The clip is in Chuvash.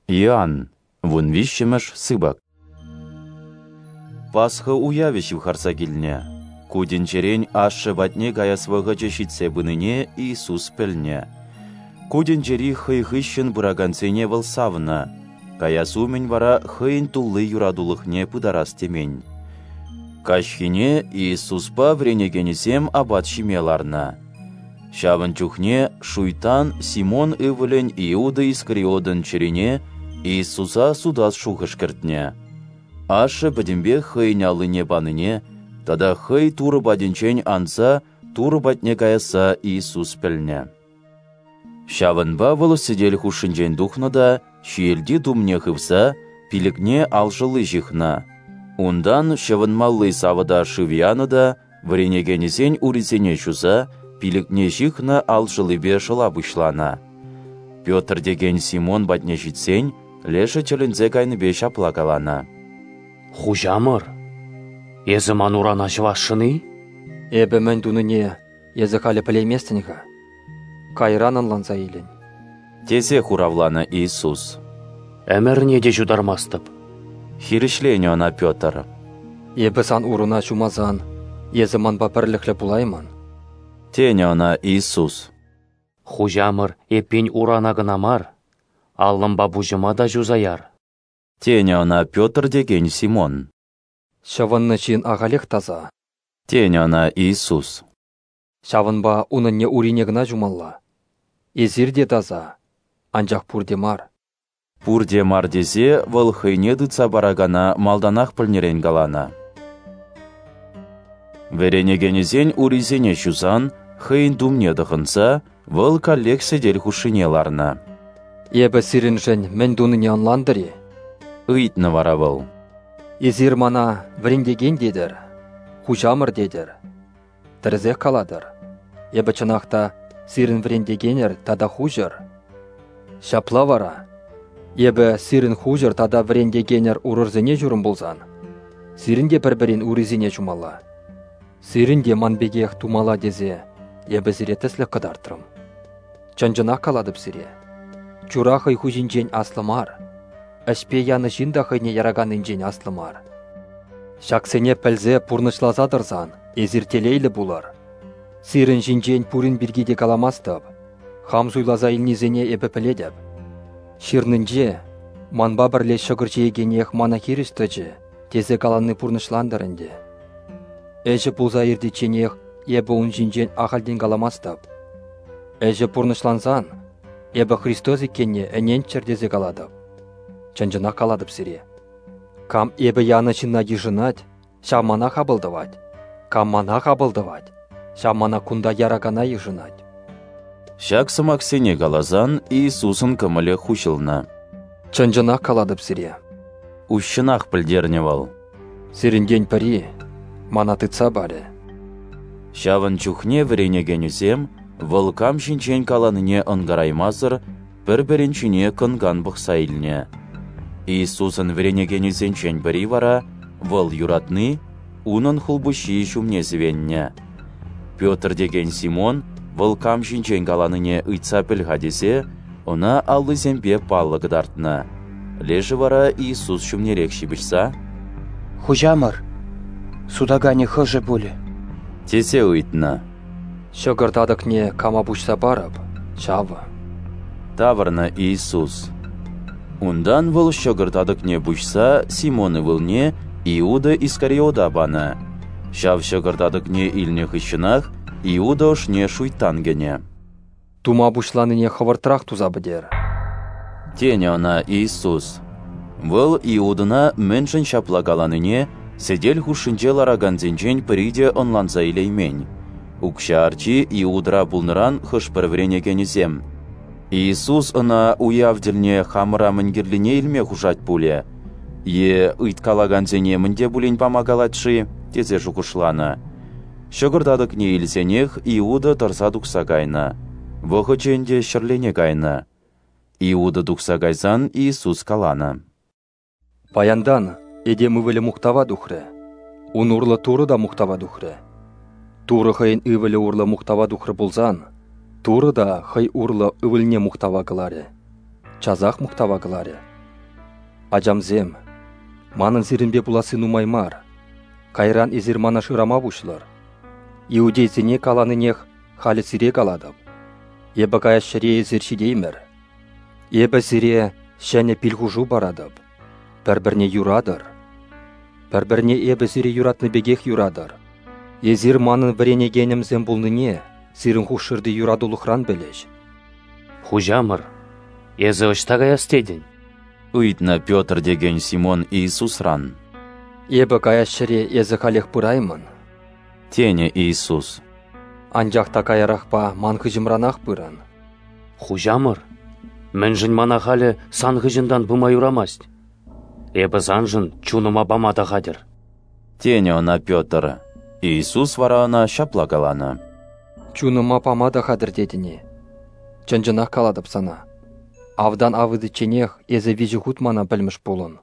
Иоанн, вунвиҫҫӗмӗш сыпӑк. Пасха уявӗ ҫывхарса килнӗ. Ку тӗнчерен Ашшӗ патне каяс вӑхӑчӗ ҫитсе пынине Иисус пӗлнӗ. Ку тӗнчери хӑй хыҫҫӑн пыракансене вӑл савнӑ, каяс умӗн вара хӑйӗн тулли юратулӑхне пытарас темен. Каҫхине Иисуспа вӗренекенӗсем апат ҫиме ларнӑ. Ҫавӑн чухне Шуйттан Симон ывӑлӗн Иуда Искариотӑн чӗрине Иисуса сутас шухӑш кӗртнӗ. Ашшӗ пӗтӗмпех хӑйӗн аллине панине тата хӑй Турӑ патӗнчен анса Турӑ патне каясса Иисус пӗлнӗ. Ҫавӑнпа вӑл сӗтел хушшинчен тухнӑ та ҫиелти тумне хывса пилӗкне алшӑлли ҫыхнӑ. Унтан ҫӑвӑнмалли савӑта шыв янӑ та вӗренекенӗсен урисене ҫуса пилӗкне ҫыхнӑ алшӑллипе шӑла пуҫланӑ. Петр текен Симон патне ҫитсен лешӗ тӗлӗнсе кайнипе ҫапла каланӑ: «Хуҫамӑр, эсӗ ман урана ҫӑвасшӑн-и?» «Эпӗ мӗн тунине эсӗ халӗ пӗлейместӗн-ха, кайран ӑнланса илӗн», тесе хуравланӑ Иисус. «Ӗмӗрне те ҫутармастӑп», хирӗҫленӗ ӑна Петр. «Эпӗ сан уруна ҫумасан, эсӗ манпа пӗрлӗхлӗ пулаймӑн», тенӗ ӑна Иисус. «Хуҫамӑр, эппин урана кӑна мар, аллӑмпа пуҫӑма та ҫуса яр», тенӗ ӑна Петр текен Симон. «Ҫӑвӑннӑ ҫын ахалех таса», тенӗ ӑна Иисус. «Ҫавӑнпа унӑнне урине кӑна ҫумалла. Эсир те таса, анчах пурте мар». Пурте мар тесе вӑл хӑйне тытса паракана малтанах пӗлнӗрен каланӑ. Вӗренекенӗсен урисене ҫусан, хӑйӗн тумне тӑхӑнса, вӑл каллех сӗтел хушшине ларнӑ. «Эпӗ сирӗншӗн мӗн тунине ӑнлантӑр-и?» ыйтнӑ вара вӑл. «Эсир мана вӗрентекен тетӗр, хуҫамӑр тетӗр. Тӗрӗсех калатӑр. Эпӗ чӑнах та сирӗн вӗрентекенӗр тата хуҫӑр. Ҫапла вара, эпӗ сирӗн хуҫӑр тата вӗрентекенӗр урӑрсене ҫурӑм пулсан, сирӗн те пӗр-пӗрин урисене ҫумалла. Сирӗн те ман пекех тумалла тесе эпӗ сире тӗслӗх кӑтартрӑм. Чӑн-чӑнах калатӑп сире, чура хӑй хуҫинчен аслӑ мар, ӗҫпе янӑ ҫын та хӑйне яраканнинчен аслӑ мар. Ҫаксене пӗлсе пурнӑҫласа тӑрсан эсир телейлӗ пулӑр. Сирӗн ҫинчен пурин пирки те каламастӑп, хам суйласа илнисене эпӗ пӗлетӗп. Ҫырнинче «Манпа пӗрле ҫӑкӑр ҫиекенех мана хирӗҫ тӑчӗ» тесе калани пурнӑҫлантӑр ӗнтӗ. Ӗҫӗ пулса иртичченех эпӗ ун ҫинчен ахальтен каламастӑп. Ӗҫӗ пурнӑҫлансан эпӗ Христос иккенне ӗненччӗр тесе калатӑп. Чӑн-чӑнах калатӑп сире. Кам эпӗ янӑ ҫынна йышӑнать, ҫав мана хапӑл тӑвать. Кам мана хапӑл тӑвать, ҫав мана кунта яракана йышӑнать. Ҫак сӑмахсене каласан Иисусӑн кӑмӑлӗ хуҫӑлнӑ. Чӑн-чӑнах калатӑп сире, уҫҫӑнах пӗлтернӗ вӑл. Сирӗнтен пӗри мана тытса парӗ. Ҫавӑн чухне вӗренекенӗсем вӑл кам ҫинчен каланине ӑнкараймасӑр пӗр-пӗрин ҫине кӑн-кан пӑхса илнӗ. Иисусӑн вӗренекенӗсенчен пӗри вара, вӑл юратни, унӑн хулпуҫҫийӗ ҫумне сӗвеннӗ. Петр текен Симон вӑл кам ҫинчен каланине ыйтса пӗл-ха тесе ӑна аллисемпе паллӑ кӑтартнӑ. Лешӗ вара Иисус ҫумнерех ҫыпӑҫса: «Хуҫамӑр, сутаканӗ хӑшӗ пулӗ?» тесе ыйтнӑ. «Ҫӑкӑр татӑкне кама пуҫса парӑп, ҫавӑ», тавӑрнӑ Иисус. Унтан вӑл ҫӑкӑр татӑкне пуҫса Симон ывӑлне Иуда Искариота панӑ. Ҫав ҫӑкӑр татӑкне илнӗ хыҫҫӑнах Иуда ӑшне шуйттан кӗнӗ. «Тума пуҫланине хӑвӑртрах туса пӗтер», тенӗ ӑна Иисус. Вӑл Иудӑна мӗншӗн ҫапла каланине сӗтел хушшинче ларакансенчен пӗри те ӑнланса илеймен. Укҫа арчи Иудӑра пулнӑран хӑш-пӗр вӗренекенӗсем: «Иисус ӑна уяв тӗлне хамӑра мӗн кирлине илме хушать пулӗ е ыйткалакансене мӗн те пулин пама калать-ши?» тесе шухӑшланӑ. Ҫӑкӑр татӑкне илсенех Иуда тӑрса тухса кайнӑ. Вӑхӑчӗ ӗнтӗ ҫӗрлене кайнӑ. Иуда тухса кайсан Иисус каланӑ: «Паянтан Этем Ывӑлӗ мухтава тухрӗ. Ун урлӑ Турӑ та мухтава тухрӗ. Турӑ хӑйӗн Ывӑлӗ урлӑ мухтава тухрӗ пулсан, Турӑ та хӑй урлӑ Ывӑлне мухтава кӑларӗ. Часах мухтава кӑларӗ. Ачамсем, манӑн сирӗнпе пуласси нумай мар. Кайран эсир мана шырама пуҫлӑр. Иудейсене каланинех халӗ сире калатӑп. Эпӗ каяс ҫӗре эсир ҫитеймӗр. Эпӗ сире ҫӗнӗ пил-хушу паратӑп. Пӗр-пӗрне юратӑр. Пӗр-пӗрне эпӗ сире юратнӑ пекех юратӑр. Эсир манӑн вӗренекенӗмсем пулнине сирӗн хушшӑрти юратулӑхран пӗлӗҫ. Хуҫамӑр, эсӗ ӑҫта каяс тетӗн? Ыйтнӑ Петр текен Симон Иисусран. Эпӗ каяс ҫӗре эсӗ халех пыраймӑн, тенӗ Иисус. Анчах та каярахпа ман хыҫӑмранах пырӑн. Хуҫамӑр, мӗншӗн мана халӗ сан хыҫӑнтан пыма юрамасть? Эпӗ саншӑн чунӑма пама та хатӗр. Тенӗ ӑна Петр. Иисус вара ӑна ҫапла каланӑ. Чунӑма пама та хатӗр тетӗн-и? Чӑн-чӑнах калатӑп сана. Автан авӑтичченех эсӗ 3 хут мана пӗлмӗш пулӑн.